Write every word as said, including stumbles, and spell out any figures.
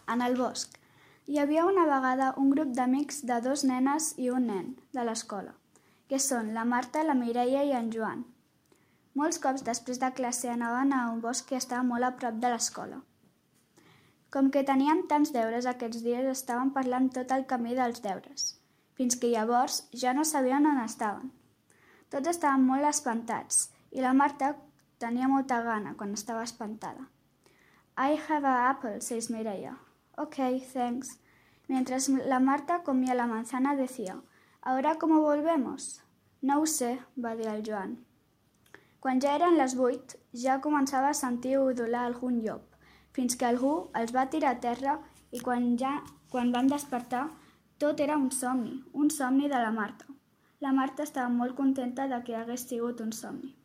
En el bosc. Hi havia una vegada un grup d'amics de dos nenes i un nen de l'escola, que són la Marta, la Mireia i en Joan. Molts cops després de classe anaven a un bosc que estava molt a prop de l'escola. Com que teníem tants deures aquests dies estaven parlant tot el camí dels deures, fins que llavors ja no sabien on estaven. Tots estaven molt espantats i la Marta tenia molta gana quan estava espantada. I have an apple, says Mireia. Okay, thanks. Mientras la Marta comía la manzana decía, ¿ahora cómo volvemos? No ho sé, va dir el Joan. Quan ja eren les vuit, ja començava a sentir udolar algun llop, fins que algú els va tirar a terra i quan, ja, quan van despertar, tot era un somni, un somni de la Marta. La Marta estava molt contenta de que hagués sigut un somni.